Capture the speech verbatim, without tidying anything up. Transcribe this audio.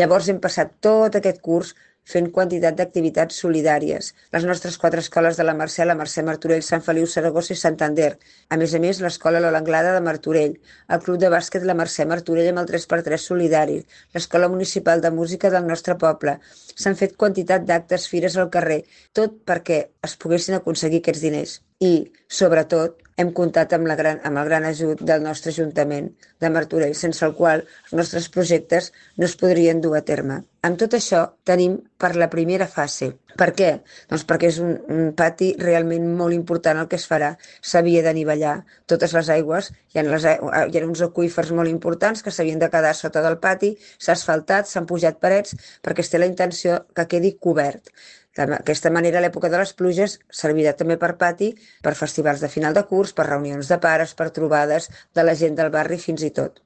Llavors hem passat tot aquest curs fent quantitat d'activitats solidàries. Les nostres quatre escoles de la Mercè, la Mercè Martorell, Sant Feliu, Saragossa i Santander. A més a més, l'escola Lola Anglada de Martorell, el club de bàsquet la Mercè Martorell amb el tres per tres solidari, l'escola municipal de música del nostre poble. S'han fet quantitat d'actes, fires al carrer, tot perquè es poguessin aconseguir aquests diners. I, sobretot, hem comptat amb, la gran, amb el gran ajut del nostre Ajuntament de Martorell, sense el qual els nostres projectes no es podrien dur a terme. Amb tot això tenim per la primera fase. Per què? Doncs perquè és un, un pati realment molt important el que es farà. S'havia d'anivellar totes les aigües, hi ha, les, hi ha uns aqüífers molt importants que s'havien de quedar sota del pati, s'ha asfaltat, s'han pujat parets, perquè es té la intenció que quedi cobert. D'aquesta manera, a l'època de les pluges, servirà també per pati, per festivals de final de curs, per reunions de pares, per trobades de la gent del barri fins i tot.